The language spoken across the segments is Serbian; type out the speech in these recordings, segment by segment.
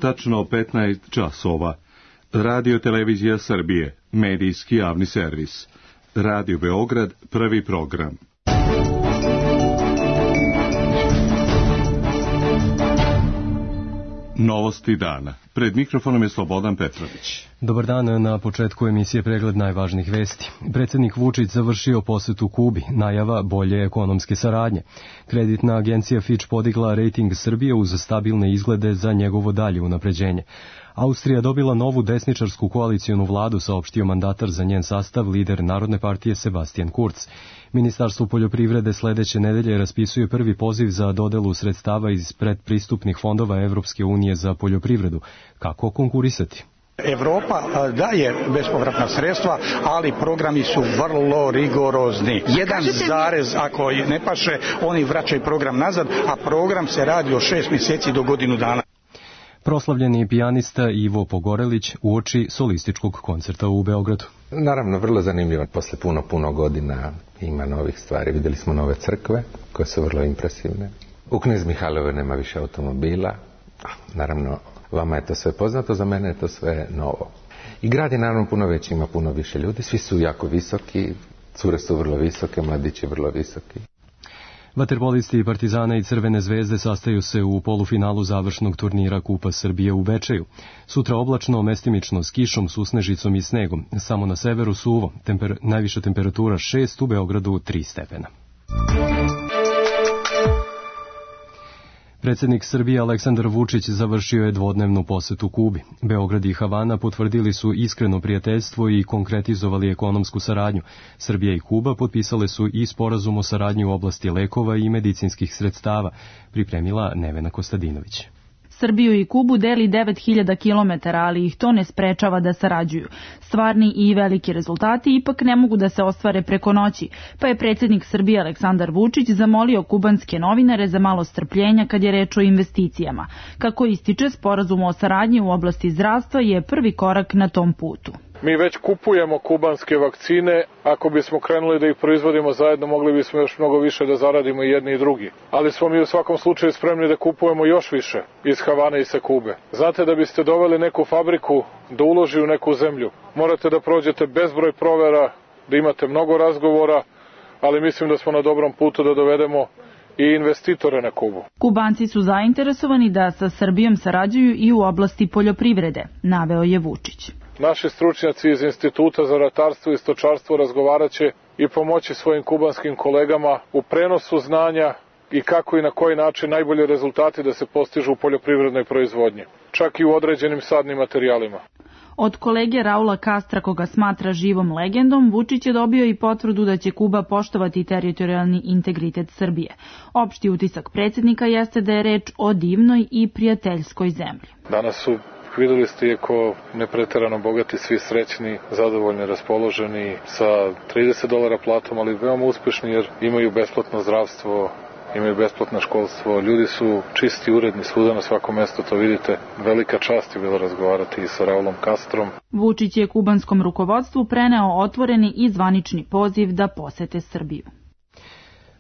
tačno 15 časova. Radio Televizija Srbije, medijski javni servis. Radio Beograd, prvi program. Novosti dana. Pred mikrofonom je Slobodan Petrović. Dobar dan, na početku emisije pregled najvažnijih vesti. Predsjednik Vučić završio posetu Kubi, najava bolje ekonomske saradnje. Kreditna agencija Fitch podigla rejting Srbije uz stabilne izglede za njegovo dalje unapređenje. Austrija dobila novu desničarsku koalicionu vladu, saopštio mandatar za njen sastav, lider Narodne partije Sebastian Kurz. Ministarstvo poljoprivrede sledeće nedelje raspisuje prvi poziv za dodelu sredstava iz predpristupnih fondova Evropske unije za poljoprivredu. Kako konkurisati? Evropa daje bespovratna sredstva, ali programi su vrlo rigorozni. Jedan zarez, ako ne paše, oni vraćaju program nazad, a program se radi od 6 mjeseci do godinu dana. Proslavljeni pijanista Ivo Pogorelić uoči solističkog koncerta u Beogradu. Naravno, vrlo zanimljivo. Posle puno godina ima novih stvari. Vidjeli smo nove crkve koje su vrlo impresivne. U Knez Mihajlovoj nema više automobila. Naravno, vama je to sve poznato, za mene je to sve novo. I grad je naravno puno veći, ima puno više ljudi. Svi su jako visoki, cure su vrlo visoke, mladići vrlo visoki. Vaterpolisti Partizana i Crvene zvezde sastaju se u polufinalu završnog turnira Kupa Srbije u Bečeju. Sutra oblačno, mestimično s kišom, susnežicom i snegom. Samo na severu suvo. Najviša temperatura 6, u Beogradu 3 stepena. Predsjednik Srbije Aleksandar Vučić završio je dvodnevnu posetu Kubi. Beograd i Havana potvrdili su iskreno prijateljstvo i konkretizovali ekonomsku saradnju. Srbija i Kuba potpisale su i sporazum o saradnji u oblasti lekova i medicinskih sredstava, pripremila Nevena Kostadinović. Srbiju i Kubu deli 9000 km, ali ih to ne sprečava da sarađuju. Stvarni i veliki rezultati ipak ne mogu da se ostvare preko noći, pa je predsjednik Srbije Aleksandar Vučić zamolio kubanske novinare za malo strpljenja kad je reč o investicijama. Kako ističe, sporazum o saradnji u oblasti zdravstva je prvi korak na tom putu. Mi već kupujemo kubanske vakcine, ako bismo krenuli da ih proizvodimo zajedno, mogli bismo još mnogo više da zaradimo i jedni i drugi. Ali smo mi u svakom slučaju spremni da kupujemo još više iz Havane i sa Kube. Znate, da biste doveli neku fabriku da uloži u neku zemlju, morate da prođete bezbroj provera, da imate mnogo razgovora, ali mislim da smo na dobrom putu da dovedemo i investitore na Kubu. Kubanci su zainteresovani da sa Srbijom sarađuju i u oblasti poljoprivrede, naveo je Vučić. Naši stručnjaci iz Instituta za ratarstvo i stočarstvo razgovaraće i pomoći svojim kubanskim kolegama u prenosu znanja i kako i na koji način najbolje rezultati da se postižu u poljoprivrednoj proizvodnji, čak i u određenim sadnim materijalima. Od kolege Raula Castra, koga smatra živom legendom, Vučić je dobio i potvrdu da će Kuba poštovati teritorijalni integritet Srbije. Opšti utisak predsjednika jeste da je reč o divnoj i prijateljskoj zemlji. Danas su, videli ste, iako nepreterano bogati, svi srećni, zadovoljni, raspoloženi, sa $30 platom, ali veoma uspešni jer imaju besplatno zdravstvo, imaju besplatno školstvo, ljudi su čisti, uredni svuda na svakom mjestu, to vidite. Velika čast je bilo razgovarati i sa Raulom Castrom. Vučić je kubanskom rukovodstvu preneo otvoreni i zvanični poziv da posete Srbiju.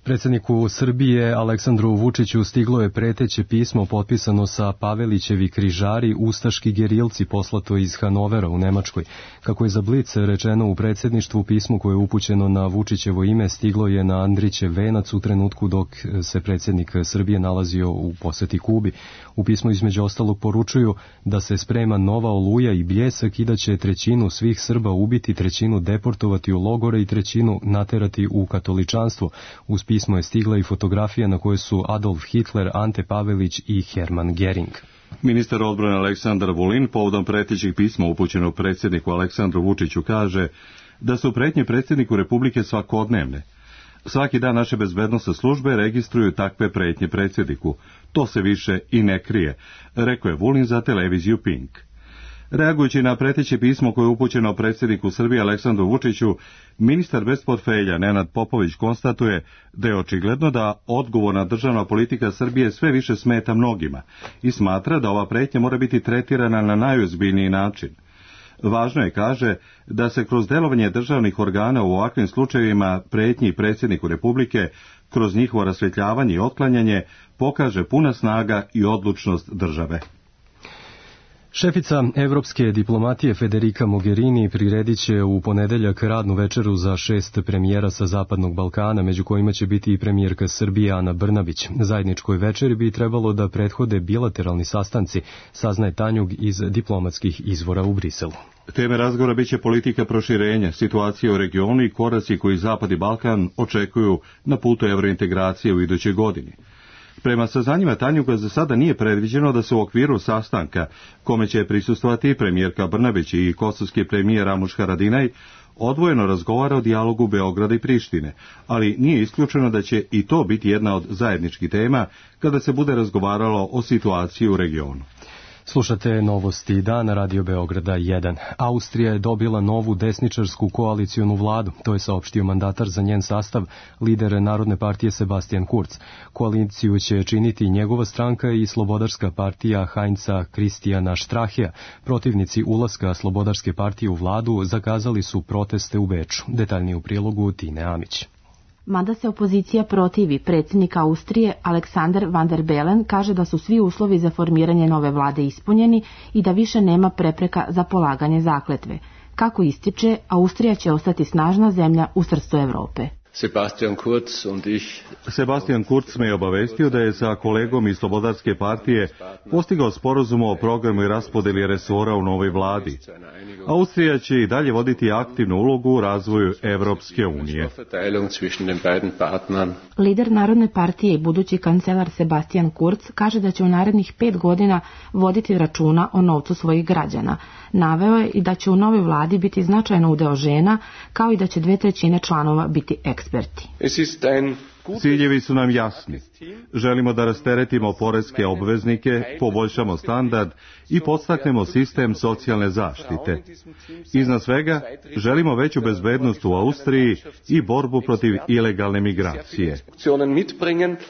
Predsjedniku Srbije Aleksandru Vučiću stiglo je preteće pismo potpisano sa Pavelićevi križari, ustaški gerilci, poslato iz Hanovera u Nemačkoj. Kako je za Blic rečeno u predsjedništvu, pismo koje je upućeno na Vučićevo ime stiglo je na Andrićev venac u trenutku dok se predsjednik Srbije nalazio u poseti Kubi. U pismu između ostalog poručuju da se sprema nova oluja i bljesak i da će 1/3 svih Srba ubiti, 1/3 deportovati u logore i 1/3 naterati u katoličanstvo. Uz pismo je stigla i fotografija na kojoj su Adolf Hitler, Ante Pavelić i Hermann Gering. Ministar odbrane Aleksandar Vulin povodom pretećih pisma upućenog predsjedniku Aleksandru Vučiću kaže da su pretnje predsjedniku Republike svakodnevne. Svaki dan naše bezbednosne službe registruju takve pretnje predsjedniku. To se više i ne krije, rekao je Vulin za televiziju Pink. Reagujući na preteće pismo koje je upućeno predsjedniku Srbije Aleksandru Vučiću, ministar bez portfelja Nenad Popović konstatuje da je očigledno da odgovorna državna politika Srbije sve više smeta mnogima i smatra da ova pretnja mora biti tretirana na najozbiljniji način. Važno je, kaže, da se kroz delovanje državnih organa u ovakvim slučajevima pretnji predsjedniku Republike, kroz njihovo rasvjetljavanje i otklanjanje, pokaže puna snaga i odlučnost države. Šefica evropske diplomatije Federica Mogherini priredit će u ponedeljak radnu večeru za 6 premijera sa Zapadnog Balkana, među kojima će biti i premijerka Srbije Ana Brnabić. Zajedničkoj večeri bi trebalo da prethode bilateralni sastanci, saznaje Tanjug iz diplomatskih izvora u Briselu. Teme razgovora biće politika proširenja, situacija u regionu i koraci koji Zapad i Balkan očekuju na putu evrointegracije u idućoj godini. Prema saznanjima Tanjuga za sada nije predviđeno da se u okviru sastanka, kome će prisustvovati premijerka Brnabić i kosovski premijer Ramuš Haradinaj, odvojeno razgovara o dijalogu Beograda i Prištine, ali nije isključeno da će i to biti jedna od zajedničkih tema kada se bude razgovaralo o situaciji u regionu. Slušate novosti dana Radio Beograda 1. Austrija je dobila novu desničarsku koalicionu vladu, to je saopštio mandatar za njen sastav, lider Narodne partije Sebastian Kurz. Koaliciju će činiti njegova stranka i Slobodarska partija Heinza Christiana Strachea. Protivnici ulaska Slobodarske partije u vladu zakazali su proteste u Beču. Detaljnije u prilogu Tine Amić. Mada se opozicija protivi, predsjednik Austrije Alexander Van der Bellen kaže da su svi uslovi za formiranje nove vlade ispunjeni i da više nema prepreka za polaganje zakletve. Kako ističe, Austrija će ostati snažna zemlja u srcu Evrope. Sebastian Kurz me je obavestio da je sa kolegom iz Slobodarske partije postigao sporazum o programu i raspodeli resora u novoj vladi. Austrija će i dalje voditi aktivnu ulogu u razvoju Evropske unije. Lider Narodne partije i budući kancelar Sebastian Kurz kaže da će u narednih 5 godina voditi računa o novcu svojih građana. Naveo je i da će u novoj vladi biti značajno udeo žena, kao i da će 2/3 članova biti eksperti. Ciljevi su nam jasni. Želimo da rasteretimo poreske obveznike, poboljšamo standard i podstaknemo sistem socijalne zaštite. Iznad svega, želimo veću bezbednost u Austriji i borbu protiv ilegalne migracije.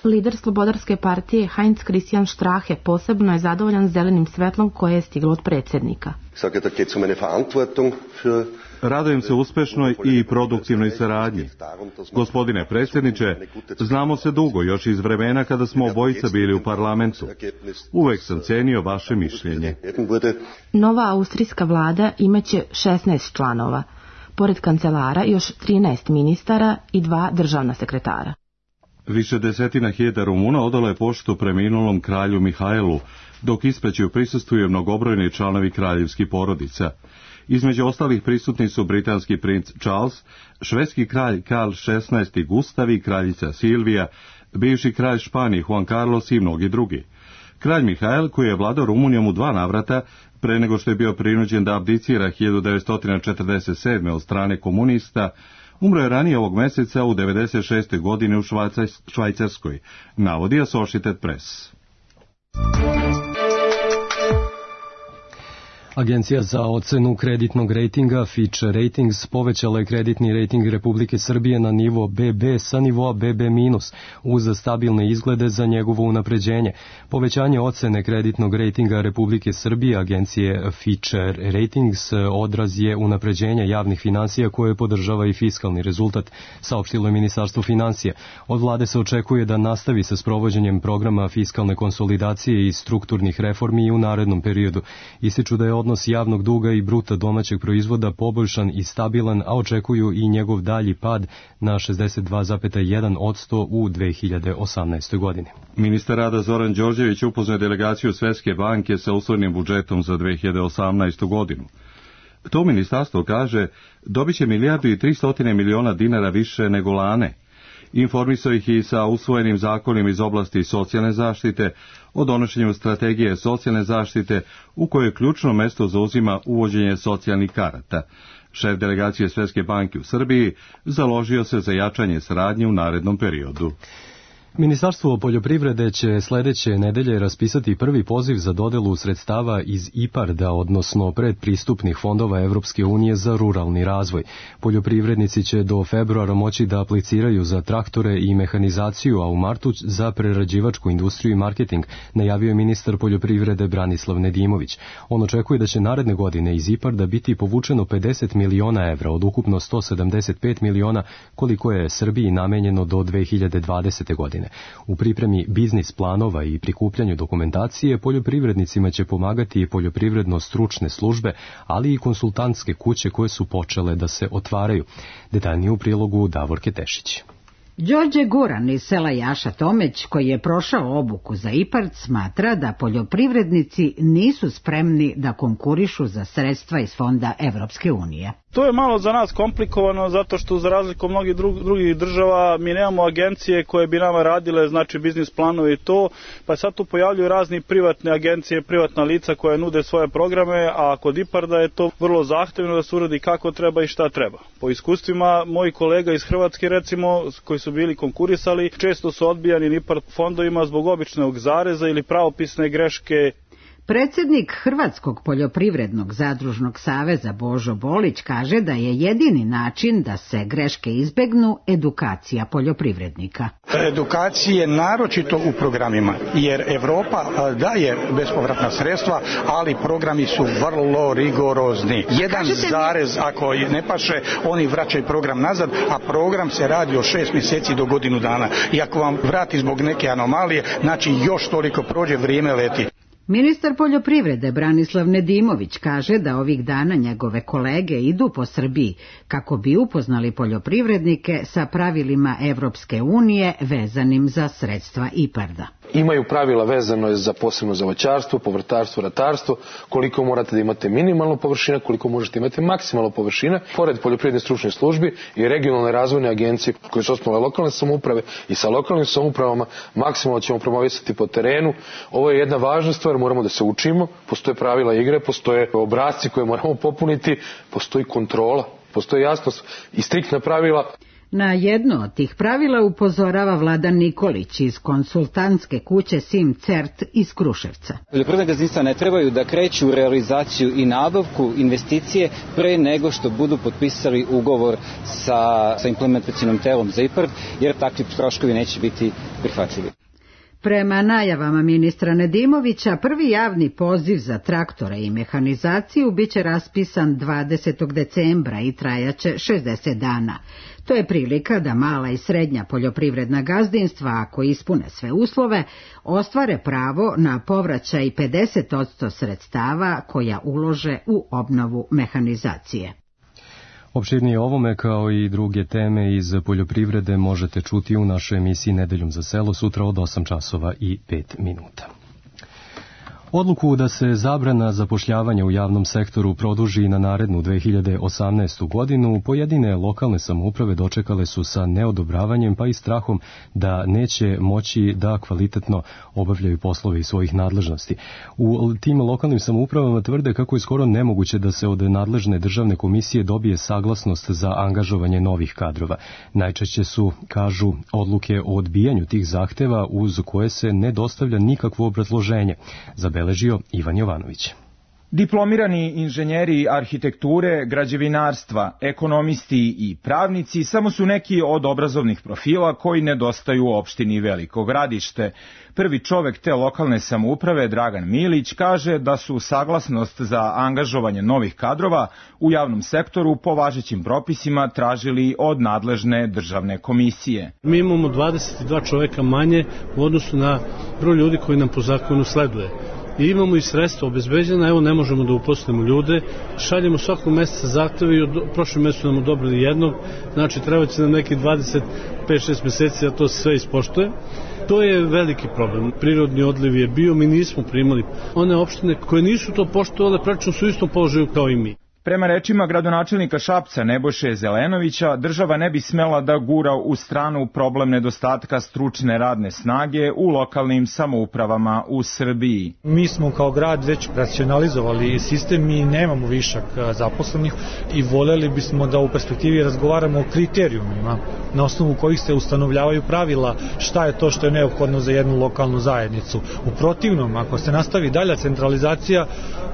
Lider Slobodarske partije Heinz Christian Strache posebno je zadovoljan zelenim svetlom koje je stiglo od predsjednika. Radujem se uspešnoj i produktivnoj saradnji. Gospodine predsjedniče, znamo se dugo, još iz vremena kada smo obojica bili u parlamentu. Uvek sam cenio vaše mišljenje. Nova austrijska vlada imaće 16 članova, pored kancelara još 13 ministara i 2 državna sekretara. Više desetina hiljada Rumuna odalo je poštu preminulom kralju Mihajlu, dok ispraćaju prisustvuju mnogobrojni članovi kraljevskih porodica. Između ostalih prisutni su britanski princ Charles, švedski kralj Karl XVI Gustav i kraljica Silvija, bivši kralj Španije Juan Carlos i mnogi drugi. Kralj Mihajl, koji je vladao Rumunijom u 2 navrata, pre nego što je bio prinuđen da abdicira 1947. od strane komunista, umro je ranije ovog meseca u 96. godini u Švajcarskoj, navodi Associated Press. Agencija za ocenu kreditnog rejtinga Fitch Ratings povećala je kreditni rejting Republike Srbije na nivo BB sa nivoa BB- uz stabilne izglede za njegovo unapređenje. Povećanje ocene kreditnog rejtinga Republike Srbije agencije Fitch Ratings odraz je unapređenja javnih finansija koje podržava i fiskalni rezultat, saopštilo je Ministarstvo finansija. Od vlade se očekuje da nastavi sa sprovođenjem programa fiskalne konsolidacije i strukturnih reformi i u narednom periodu. Ističu da je odnos javnog duga i bruta domaćeg proizvoda poboljšan i stabilan, a očekuju i njegov dalji pad na 62,1% u 2018. godini. Ministar rada Zoran Đorđević upoznao je delegaciju Svetske banke sa usvojenim budžetom za 2018. godinu. To ministarstvo kaže dobit će 1,3 milijarde dinara više nego lane. Informisao ih i sa usvojenim zakonima iz oblasti socijalne zaštite, o donošenju strategije socijalne zaštite u kojoj ključno mesto zauzima uvođenje socijalnih karata. Šef delegacije Svetske banke u Srbiji založio se za jačanje saradnje u narednom periodu. Ministarstvo poljoprivrede će sledeće nedelje raspisati prvi poziv za dodelu sredstava iz IPARD-a, odnosno predpristupnih fondova Evropske unije za ruralni razvoj. Poljoprivrednici će do februara moći da apliciraju za traktore i mehanizaciju, a u martu za prerađivačku industriju i marketing, najavio je ministar poljoprivrede Branislav Nedimović. On očekuje da će naredne godine iz IPARD-a biti povučeno 50 miliona evra od ukupno 175 miliona koliko je Srbiji namenjeno do 2020. godine. godine. U pripremi biznis planova i prikupljanju dokumentacije poljoprivrednicima će pomagati i poljoprivredno-stručne službe, ali i konsultantske kuće koje su počele da se otvaraju. Detaljnije u prilogu Davorke Tešić. Đorđe Guran iz sela Jaša Tomeć, koji je prošao obuku za IPARD, smatra da poljoprivrednici nisu spremni da konkurišu za sredstva iz fonda Evropske unije. To je malo za nas komplikovano zato što za razliku od mnogih drugih država mi nemamo agencije koje bi nama radile, znači biznis planove i to, pa sad tu pojavljuju razni privatne agencije, privatna lica koje nude svoje programe, a kod IPARD-a je to vrlo zahtevno da se uradi kako treba i šta treba. Po iskustvima mojih kolega iz Hrvatske, recimo, koji su bili konkurisali, često su odbijani IPARD fondovima zbog običnog zareza ili pravopisne greške. Predsjednik Hrvatskog poljoprivrednog zadružnog saveza Božo Bolić kaže da je jedini način da se greške izbegnu edukacija poljoprivrednika. Edukacije naročito u programima, jer Evropa daje bespovratna sredstva, ali programi su vrlo rigorozni. Jedan zarez ako ne paše, oni vraćaju program nazad, a program se radi od 6 mjeseci do godinu dana. I ako vam vrati zbog neke anomalije, znači još toliko prođe, vrijeme leti. Ministar poljoprivrede Branislav Nedimović kaže da ovih dana njegove kolege idu po Srbiji kako bi upoznali poljoprivrednike sa pravilima Evropske unije vezanim za sredstva IPARD-a. Imaju pravila vezano posebno za voćarstvo, povrtarstvo, ratarstvo, koliko morate da imate minimalno površina, koliko možete imati maksimalno površina. Pored poljoprivredne stručne službi i regionalne razvojne agencije koje su osnovale lokalne samouprave i sa lokalnim samoupravama maksimalno ćemo promovisati po terenu. Ovo je jedna važna stvar, moramo da se učimo, postoje pravila igre, postoje obrasci koje moramo popuniti, postoji kontrola, postoji jasnost i striktna pravila. Na jedno od tih pravila upozorava Vladan Nikolić iz konsultantske kuće Sim Cert iz Kruševca. Poljoprivredna gazdinstva ne trebaju da kreću u realizaciju i nabavku investicije pre nego što budu potpisali ugovor sa implementacionim telom za IPARD, jer takvi troškovi neće biti prihvatljivi. Prema najavama ministra Nedimovića, prvi javni poziv za traktore i mehanizaciju biće raspisan 20. decembra i trajaće 60 dana. To je prilika da mala i srednja poljoprivredna gazdinstva, ako ispune sve uslove, ostvare pravo na povraćaj 50% sredstava koja ulože u obnovu mehanizacije. Opširnije ovome kao i druge teme iz poljoprivrede možete čuti u našoj emisiji Nedeljom za selo sutra od 8 časova i 5 minuta. Odluku da se zabrana zapošljavanja u javnom sektoru produži na narednu 2018. godinu, pojedine lokalne samouprave dočekale su sa neodobravanjem pa i strahom da neće moći da kvalitetno obavljaju poslove iz svojih nadležnosti. U tim lokalnim samoupravama tvrde kako je skoro nemoguće da se od nadležne državne komisije dobije saglasnost za angažovanje novih kadrova. Najčešće su, kažu, odluke o odbijanju tih zahteva uz koje se ne dostavlja nikakvo obrazloženje. Zabeležio Ivan Jovanović. Diplomirani inženjeri arhitekture, građevinarstva, ekonomisti i pravnici samo su neki od obrazovnih profila koji nedostaju u opštini Veliko Gradište. Prvi čovek te lokalne samouprave, Dragan Milić, kaže da su saglasnost za angažovanje novih kadrova u javnom sektoru po važećim propisima tražili od nadležne državne komisije. Mi imamo 22 čoveka manje u odnosu na broj ljudi koji nam po zakonu sleduje. I imamo i sredstva obezbeđena, evo ne možemo da uposlimo ljude, šaljemo svakog meseca zahteve i prošle mesecu nam odobrili jednog, znači treba će nam neki 25-6 meseci da to sve ispoštuje. To je veliki problem. Prirodni odliv je bio, mi nismo primali. One opštine koje nisu to poštovale praktično su u istom položaju kao i mi. Prema rečima gradonačelnika Šapca Nebojše Zelenovića, država ne bi smela da gura u stranu problem nedostatka stručne radne snage u lokalnim samoupravama u Srbiji. Mi smo kao grad već racionalizovali sistem i nemamo višak zaposlenih i voljeli bismo da u perspektivi razgovaramo o kriterijumima na osnovu kojih se ustanovljavaju pravila šta je to što je neophodno za jednu lokalnu zajednicu. U protivnom, ako se nastavi dalja centralizacija,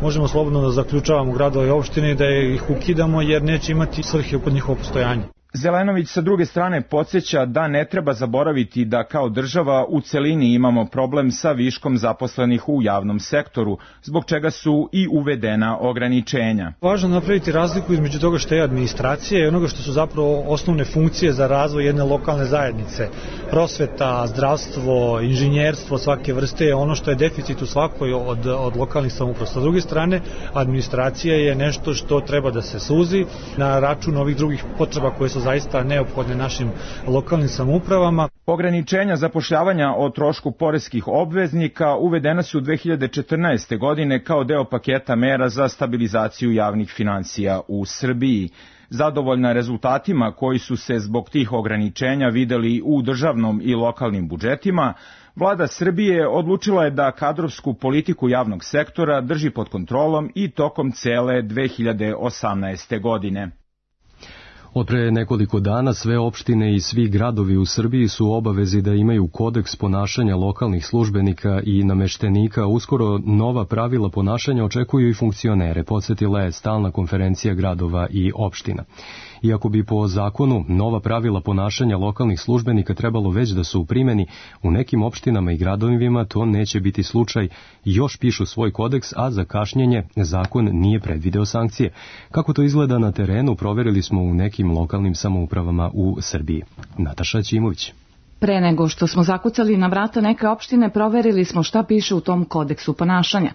možemo slobodno da zaključavamo gradove i opštine da ih ukidamo jer neće imati svrhe kod njihovo postojanje. Zelenović sa druge strane podsjeća da ne treba zaboraviti da kao država u celini imamo problem sa viškom zaposlenih u javnom sektoru, zbog čega su i uvedena ograničenja. Važno napraviti razliku između toga što je administracija i onoga što su zapravo osnovne funkcije za razvoj jedne lokalne zajednice. Prosveta, zdravstvo, inženjerstvo svake vrste je ono što je deficit u svakoj od lokalnih samouprava. Sa druge strane, administracija je nešto što treba da se suzi na račun ovih drugih potreba koje su zaista neophodne našim lokalnim samoupravama. Ograničenja zapošljavanja o trošku poreskih obveznika uvedena su 2014. godine kao deo paketa mera za stabilizaciju javnih finansija u Srbiji. Zadovoljna rezultatima koji su se zbog tih ograničenja videli u državnom i lokalnim budžetima, Vlada Srbije odlučila je da kadrovsku politiku javnog sektora drži pod kontrolom i tokom cele 2018. godine. Od pre nekoliko dana sve opštine i svi gradovi u Srbiji su u obavezi da imaju kodeks ponašanja lokalnih službenika i nameštenika. Uskoro nova pravila ponašanja očekuju i funkcionere, podsjetila je Stalna konferencija gradova i opština. Iako bi po zakonu nova pravila ponašanja lokalnih službenika trebalo već da su u primjeni, u nekim opštinama i gradovima to neće biti slučaj. Još pišu svoj kodeks, a za kašnjenje zakon nije predvideo sankcije. Kako to izgleda na terenu, proverili smo u nekim lokalnim samoupravama u Srbiji. Nataša Ćimović. Pre nego što smo zakucali na vrata neke opštine, proverili smo šta piše u tom kodeksu ponašanja.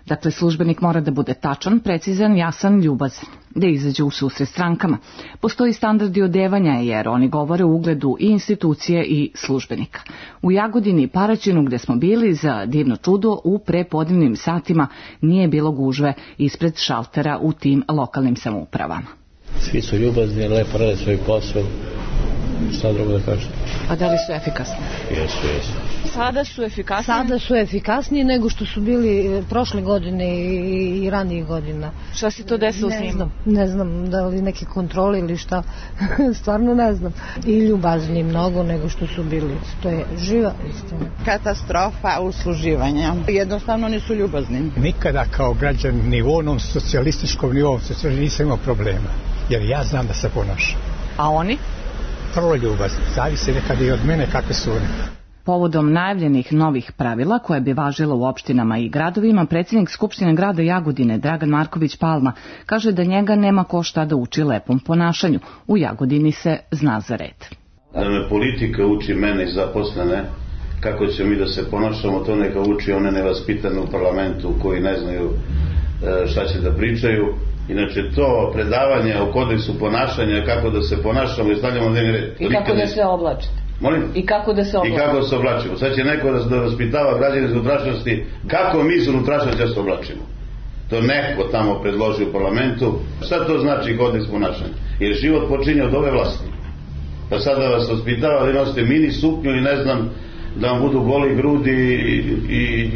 Dakle, službenik mora da bude tačan, precizan, jasan, ljubazan, da izađe u susret strankama. Postoji standardi odevanja jer oni govore o ugledu i institucije i službenika. U Jagodini i Paraćinu gde smo bili, za divno čudo, u prepodnevnim satima nije bilo gužve ispred šaltera u tim lokalnim samoupravama. Svi su ljubazni, lepo rade svoj posao. Šta drugo da kažem? A da li su efikasni? Jesu. Sada su efikasniji? Sada su efikasniji nego što su bili prošle godine i ranijih godina. Šta se to desilo s njima? Ne znam, da li neke kontrole ili šta, stvarno ne znam. I ljubazniji mnogo nego što su bili. To je živa istina. Katastrofa usluživanja. Jednostavno nisu ljubazni. Nikada kao građan ni u onom socijalističkom ni u ovom nisam imao problema, jer ja znam da se ponašam. A oni? Vrlo ljubazni. Zavisi nekada i od mene kakve su oni. Povodom najavljenih novih pravila koje bi važila u opštinama i gradovima, predsjednik Skupštine grada Jagodine Dragan Marković Palma kaže da njega nema ko šta da uči lepom ponašanju. U Jagodini se zna za red. Da me politika uči mene i zaposlene kako će mi da se ponašamo, to neka uči one nevaspitane u parlamentu koji ne znaju šta će da pričaju. Inače, to predavanje o kodeksu ponašanja, kako da se ponašamo i stavljamo dnevni red. I kako da se oblačite. Molim? I kako da se oblačimo. I kako da se oblačimo. Sad će neko da vaspitava građane iz unutrašnjosti kako mi iz unutrašnjosti da se oblačimo. To neko tamo predloži u parlamentu. Šta to znači kodeks ponašanja? Jer život počinje od ove vlasti. Pa sad da vas vaspitava da nosite mini suknju i ne znam, da vam budu goli grudi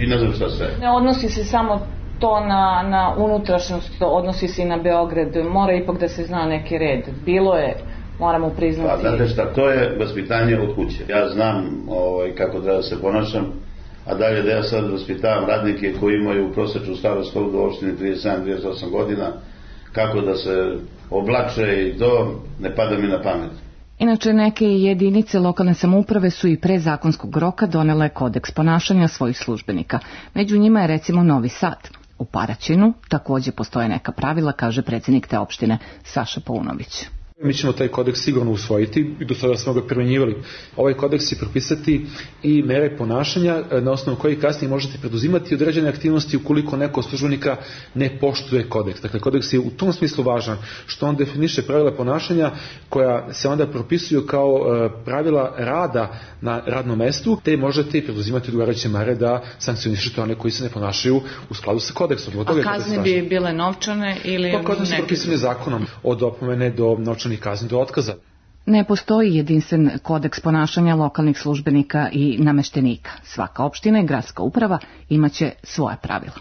i ne znam šta sve. Ne odnosi se samo to na unutrašnjost, odnosi se i na Beograd. Mora ipak da se zna neki red. Bilo je, moramo priznati. Pa, znate šta, to je vaspitanje od kuće. Ja znam kako treba da se ponašam, a dalje da ja sad vaspitavam radnike koji imaju prosječnu starost u opštini 37-38 godina, kako da se oblače i to ne pada mi na pamet. Inače, neke jedinice lokalne samouprave su i pre zakonskog roka donele kodeks ponašanja svojih službenika. Među njima je recimo Novi Sad. U Paraćinu takođe postoje neka pravila, kaže predsjednik te opštine Saša Paunović. Mi ćemo taj kodeks sigurno usvojiti i do sada smo ga primenjivali. Ovaj kodeks će propisati i mere ponašanja na osnovu kojih kasnije možete preduzimati određene aktivnosti ukoliko neko od službenika ne poštuje kodeks. Dakle, kodeks je u tom smislu važan što on definiše pravila ponašanja koja se onda propisuju kao pravila rada na radnom mestu, te možete i preduzimati odgovarajuće mere da sankcionišete one koji se ne ponašaju u skladu sa kodeksom. A kazne bi bile novčane ili neke? Kazne su propisane zakonom od opomene do novčanih kazni do otkaza. Ne postoji jedinstven kodeks ponašanja lokalnih službenika i nameštenika. Svaka opština i gradska uprava imaće svoja pravila.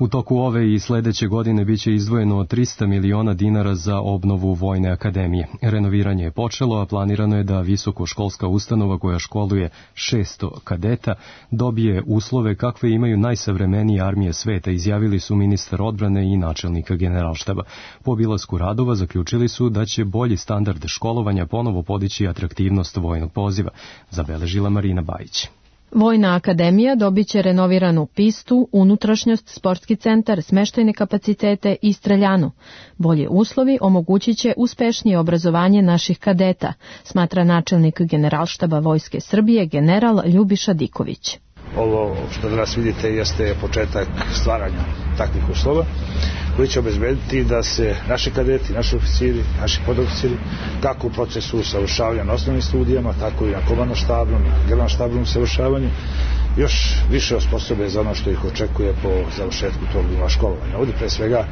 U toku ove i sledeće godine biće izdvojeno 300 miliona dinara za obnovu Vojne akademije. Renoviranje je počelo, a planirano je da visokoškolska ustanova koja školuje 600 kadeta dobije uslove kakve imaju najsavremenije armije sveta, izjavili su ministar odbrane i načelnik Generalštaba. Po obilasku radova zaključili su da će bolji standard školovanja ponovo podići atraktivnost vojnog poziva, zabeležila Marina Bajić. Vojna akademija dobiće renoviranu pistu, unutrašnjost, sportski centar, smeštajne kapacitete i streljanu. Bolje uslovi omogućit će uspešnije obrazovanje naših kadeta, smatra načelnik Generalštaba Vojske Srbije general Ljubiša Diković. Ovo što danas vidite jeste početak stvaranja takvih uslova koji će obezbediti da se naši kadeti, naši oficiri, naši podoficiri, kako u procesu usavršavanja na osnovnim studijama, tako i na komandno-štabnom, generalno-štabnom usavršavanju, još više osposobe za ono što ih očekuje po završetku tog nivoa školovanja. Ovdje pre svega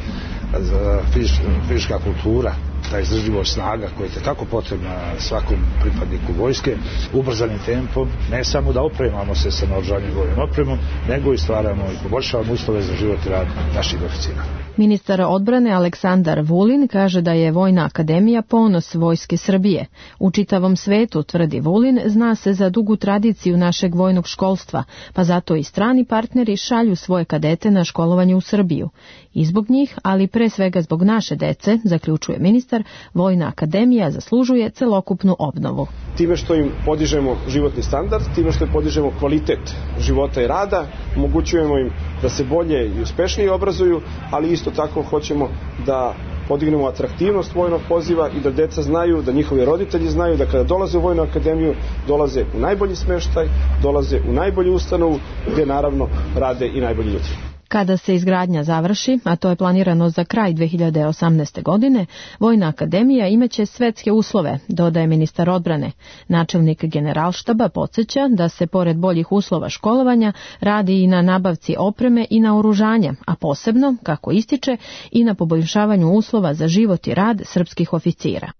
fizička kultura, ta izdržljivost snaga koja je tako potrebna svakom pripadniku vojske, ubrzanim tempom, ne samo da opremamo se sa naoružanjem vojnom opremom, nego i stvaramo i poboljšavamo uslove za život i rad naših oficira. Ministar odbrane Aleksandar Vulin kaže da je Vojna akademija ponos Vojske Srbije. U čitavom svetu, tvrdi Vulin, zna se za dugu tradiciju našeg vojnog školstva, pa zato i strani partneri šalju svoje kadete na školovanje u Srbiju. I zbog njih, ali pre svega zbog naše dece, zaključuje ministar, Vojna akademija zaslužuje celokupnu obnovu. Time što im podižemo životni standard, time što im podižemo kvalitet života i rada, omogućujemo im da se bolje i uspešnije obrazuju, ali isto tako hoćemo da podignemo atraktivnost vojnog poziva i da deca znaju, da njihovi roditelji znaju da kada dolaze u Vojnu akademiju, dolaze u najbolji smeštaj, dolaze u najbolju ustanovu gde naravno rade i najbolji ljudi. Kada se izgradnja završi, a to je planirano za kraj 2018. godine, Vojna akademija imaće svetske uslove, dodaje ministar odbrane. Načelnik Generalštaba podsjeća da se pored boljih uslova školovanja radi i na nabavci opreme i naoružanja, a posebno, kako ističe, i na poboljšavanju uslova za život i rad srpskih oficira.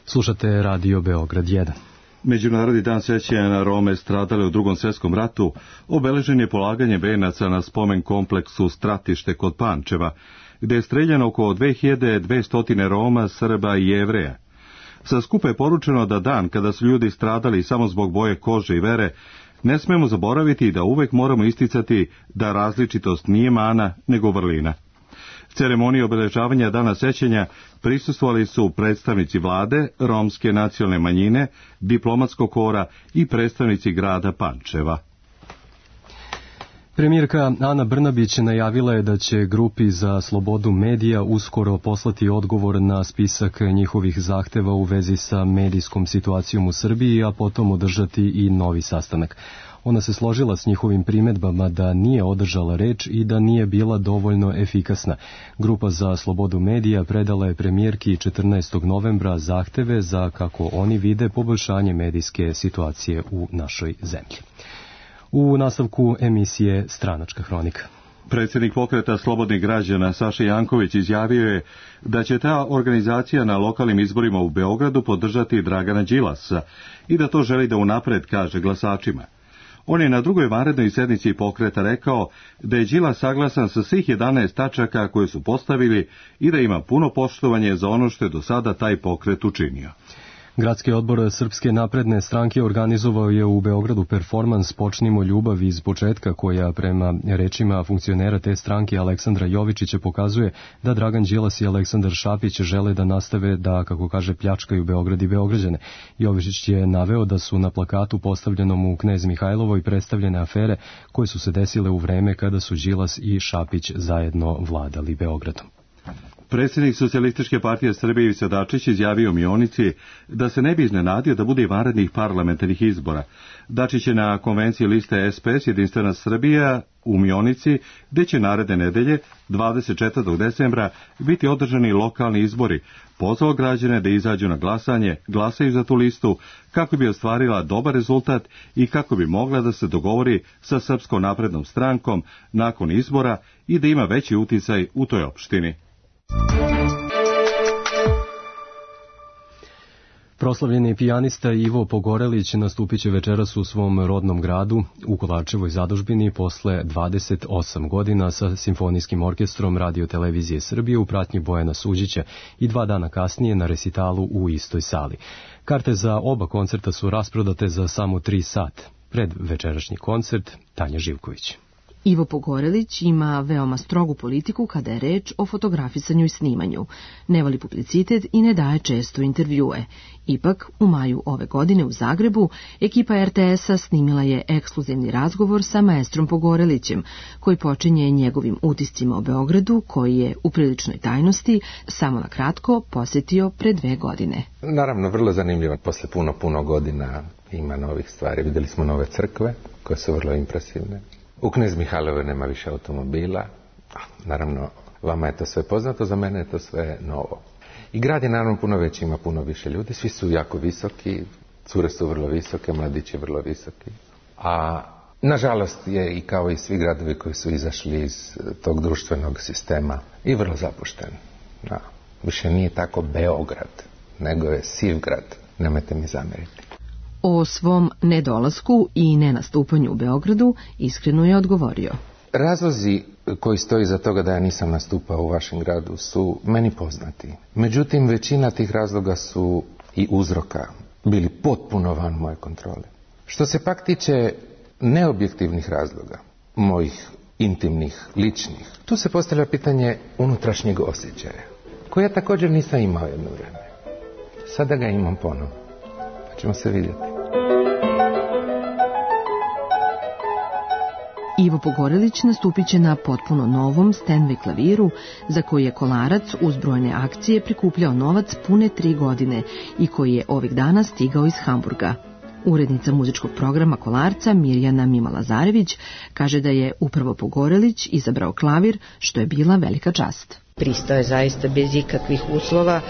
Slušate Radio Beograd 1. Međunarodni dan sećanja na Rome stradale u Drugom svjetskom ratu obeležen je polaganje venaca na spomen kompleksu Stratište kod Pančeva, gde je streljano oko 2200 Roma, Srba i Jevreja. Sa skupa je poručeno da dan kada su ljudi stradali samo zbog boje kože i vere, ne smemo zaboraviti i da uvek moramo isticati da različitost nije mana, nego vrlina. Ceremoniji obeležavanja dana sećanja prisustvovali su predstavnici vlade, romske nacionalne manjine, diplomatskog kora i predstavnici grada Pančeva. Premijerka Ana Brnabić najavila je da će grupi za slobodu medija uskoro poslati odgovor na spisak njihovih zahteva u vezi sa medijskom situacijom u Srbiji, a potom održati i novi sastanak. Ona se složila s njihovim primedbama da nije održala reč i da nije bila dovoljno efikasna. Grupa za slobodu medija predala je premijerki 14. novembra zahteve za, kako oni vide, poboljšanje medijske situacije u našoj zemlji. U nastavku emisije Stranačka hronika. Predsjednik pokreta Slobodnih građana Saša Janković izjavio je da će ta organizacija na lokalnim izborima u Beogradu podržati Dragana Đilasa i da to želi da unapred kaže glasačima. On je na drugoj vanrednoj sednici pokreta rekao da je Đilas saglasan sa svih 11 tačaka koje su postavili i da ima puno poštovanje za ono što je do sada taj pokret učinio. Gradski odbor Srpske napredne stranke organizovao je u Beogradu performans Počnimo ljubav iz početka, koja prema rečima funkcionera te stranke Aleksandra Jovičića pokazuje da Dragan Đilas i Aleksandar Šapić žele da nastave da, kako kaže, pljačkaju Beograd i Beograđane. Jovičić je naveo da su na plakatu postavljenom u Knez Mihajlovoj predstavljene afere koje su se desile u vreme kada su Đilas i Šapić zajedno vladali Beogradom. Predsjednik Socijalističke partije Srbije Ivica Dačić izjavio u Mionici da se ne bi iznenadio da bude i vanrednih parlamentarnih izbora. Dačić je na konvenciji liste SPS Jedinstvena Srbija u Mionici, gde će naredne nedelje, 24. decembra, biti održani lokalni izbori, pozvao građane da izađu na glasanje, glasaju za tu listu, kako bi ostvarila dobar rezultat i kako bi mogla da se dogovori sa Srpskom naprednom strankom nakon izbora i da ima veći uticaj u toj opštini. Proslavljeni pijanista Ivo Pogorelić nastupit će večeras u svom rodnom gradu u Kovačevoj zadužbini posle 28 godina sa simfonijskim orkestrom Radio Televizije Srbije u pratnji Bojana Suđića i 2 dana kasnije na resitalu u istoj sali. Karte za oba koncerta su rasprodate za samo 3 sata. Pred večerašnji koncert Tanja Živković. Ivo Pogorelić ima veoma strogu politiku kada je reč o fotografisanju i snimanju. Ne voli publicitet i ne daje često intervjue. Ipak, u maju ove godine u Zagrebu, ekipa RTS-a snimila je ekskluzivni razgovor sa maestrom Pogorelićem, koji počinje njegovim utiscima o Beogradu, koji je u priličnoj tajnosti samo na kratko posjetio pre 2 godine. Naravno, vrlo zanimljivo. Posle puno godina ima novih stvari. Videli smo nove crkve, koje su vrlo impresivne. U Knez Mihajlovoj nema više automobila. Naravno, vama je to sve poznato, za mene je to sve novo. I grad je naravno puno veći, ima puno više ljudi, svi su jako visoki, cure su vrlo visoke, mladići vrlo visoki. A nažalost je i kao i svi gradovi koji su izašli iz tog društvenog sistema i vrlo zapušten. Više nije tako Beograd, nego je siv grad, nemojte mi zameriti. O svom nedolasku i nenastupanju u Beogradu iskreno je odgovorio. Razlozi koji stoji za toga da ja nisam nastupao u vašem gradu su meni poznati. Međutim, većina tih razloga su i uzroka bili potpuno van moje kontrole. Što se pak tiče neobjektivnih razloga, mojih intimnih, ličnih, tu se postavlja pitanje unutrašnjeg osjećaja, koje ja također nisam imao jedno vreme. Sada ga imam ponovo. Pa ćemo se vidjeti. Ivo Pogorelić nastupit će na potpuno novom Steinway klaviru, za koji je Kolarac uz brojne akcije prikupljao novac pune 3 godine i koji je ovih dana stigao iz Hamburga. Urednica muzičkog programa Kolarca Mirjana Mima-Lazarević kaže da je upravo Pogorelić izabrao klavir, što je bila velika čast. Pristao je zaista bez ikakvih uslova,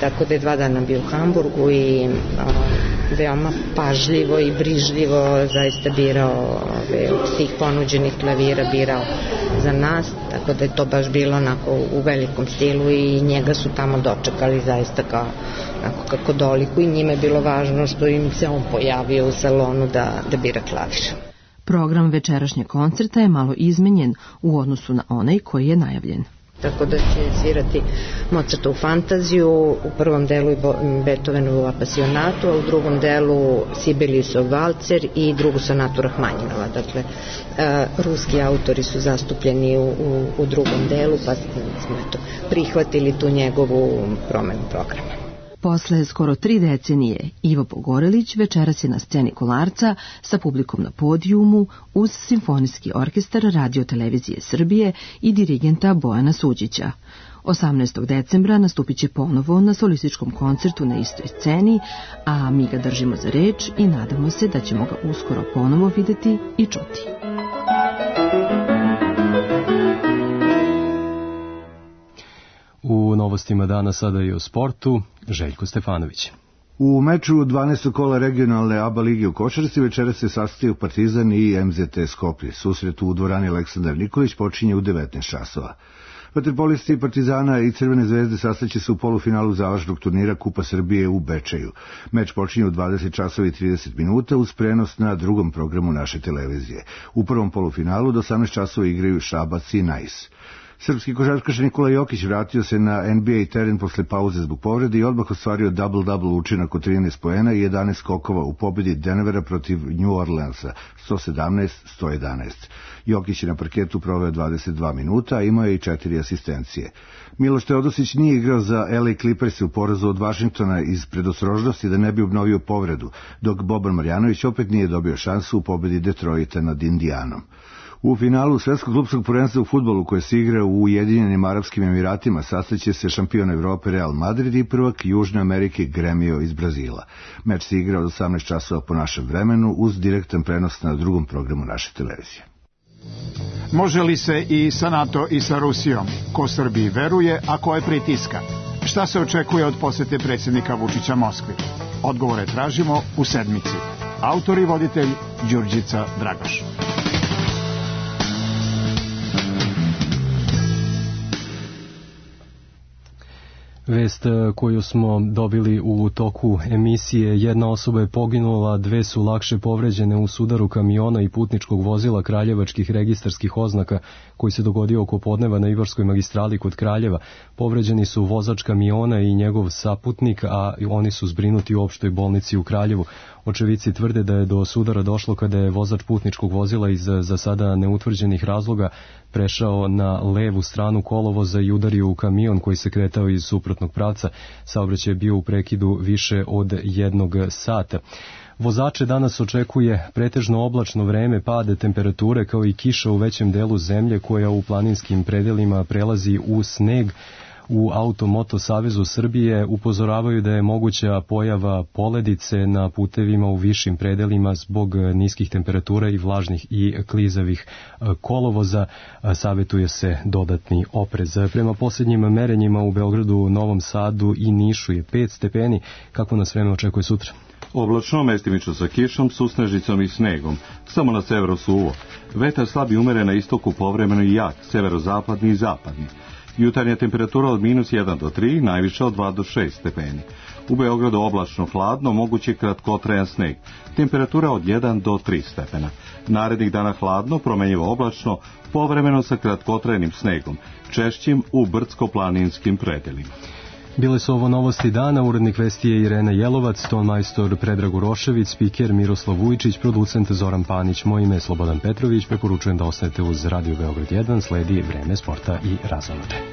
tako da je 2 dana bio u Hamburgu i veoma pažljivo i brižljivo zaista birao od svih ponuđenih klavira, birao za nas, tako da je to baš bilo onako u velikom stilu i njega su tamo dočekali zaista kao kako doliku i njima je bilo važno što im se on pojavio u salonu da bira klavir. Program večerašnjeg koncerta je malo izmenjen u odnosu na onaj koji je najavljen. Tako da će svirati Mozartovu fantaziju, u prvom delu Beethovenovu apasionatu, a u drugom delu Sibeliusov valcer i drugu sonatu Rahmanjinova. Dakle, ruski autori su zastupljeni u drugom delu, pa smo prihvatili tu njegovu promenu programa. Posle skoro 3 decenije, Ivo Pogorelić večeras je na sceni Kolarca sa publikom na podijumu uz simfonijski orkestar Radio Televizije Srbije i dirigenta Bojana Suđića. 18. decembra nastupit će ponovo na solističkom koncertu na istoj sceni, a mi ga držimo za reč i nadamo se da ćemo ga uskoro ponovo videti i čuti. U novostima dana sada i o sportu, Željko Stefanović. U meču 12. kola regionalne ABA lige u košarci večeras se sastaju Partizan i MZT Skoplje. Susret u dvorani Aleksandar Nikolić počinje u 19 časova. Vaterpolisti Partizana i Crvene zvezde sastaće se u polufinalu završnog turnira Kupa Srbije u Bečeju. Meč počinje u 20 časova i 30 minuta uz prenos na drugom programu naše televizije. U prvom polufinalu do 18 časova igraju Šabac i Najs. Srpski košarkaš Nikola Jokić vratio se na NBA teren posle pauze zbog povrede i odmah ostvario double-double učinak od 13 poena i 11 skokova u pobjedi Denvera protiv New Orleansa 117-111. Jokić je na parketu proveo 22 minuta, a imao je i 4 asistencije. Miloš Teodosić nije igrao za LA Clippers u porazu od Vašingtona iz predostrožnosti da ne bi obnovio povredu, dok Boban Marjanović opet nije dobio šansu u pobjedi Detroita nad Indijanom. U finalu Svetskog klupskog prvenstva u fudbalu koje se igra u Ujedinjenim Arapskim Emiratima sastaće se šampion Evrope Real Madrid i prvak Južne Amerike Gremio iz Brazila. Meč se igra od 18 časova po našem vremenu uz direktan prenos na drugom programu naše televizije. Može li se i sa NATO i sa Rusijom? Ko Srbiji veruje, a ko je pritiska? Šta se očekuje od posete predsjednika Vučića Moskvi? Odgovore tražimo u sedmici. Autor i voditelj Đurđica Dragoš. Vest koju smo dobili u toku emisije: jedna osoba je poginula, 2 su lakše povređene u sudaru kamiona i putničkog vozila kraljevačkih registarskih oznaka koji se dogodio oko podneva na Ibarskoj magistrali kod Kraljeva. Povređeni su vozač kamiona i njegov saputnik, a oni su zbrinuti u opštoj bolnici u Kraljevu. Očevici tvrde da je do sudara došlo kada je vozač putničkog vozila iz za sada neutvrđenih razloga prešao na levu stranu kolovoza i udario u kamion koji se kretao iz suprotnog pravca. Saobraćaj je bio u prekidu više od 1 sata. Vozače danas očekuje pretežno oblačno vreme, pade temperature kao i kiša u većem delu zemlje koja u planinskim predelima prelazi u sneg. U Automoto Savezu Srbije upozoravaju da je moguća pojava poledice na putevima u višim predelima zbog niskih temperatura i vlažnih i klizavih kolovoza. Savetuje se dodatni oprez. Prema posljednjim merenjima u Beogradu, Novom Sadu i Nišu je 5 stepeni. Kako nas vreme očekuje sutra? Oblačno, mestimično sa kišom, susnežicom i snegom. Samo na severu suvo. Vetar slab i umeren na istoku, povremeno i jak, severozapadni i zapadni. Jutarnja temperatura od -1 do 3, najviša od 2 do 6 stepeni. U Beogradu oblačno hladno, mogući kratkotrajan sneg. Temperatura od 1 do 3 stepena. Narednih dana hladno, promenjivo oblačno, povremeno sa kratkotrajanim snegom, češćim u brdsko-planinskim predelima. Bile su ovo novosti dana, urednik vesti je Irena Jelovac, tonmajstor Predrag Urošević, spiker Miroslav Vujčić, producent Zoran Panić, moje ime je Slobodan Petrović, preporučujem da ostanete uz Radio Beograd 1, sledi vreme sporta i razonode.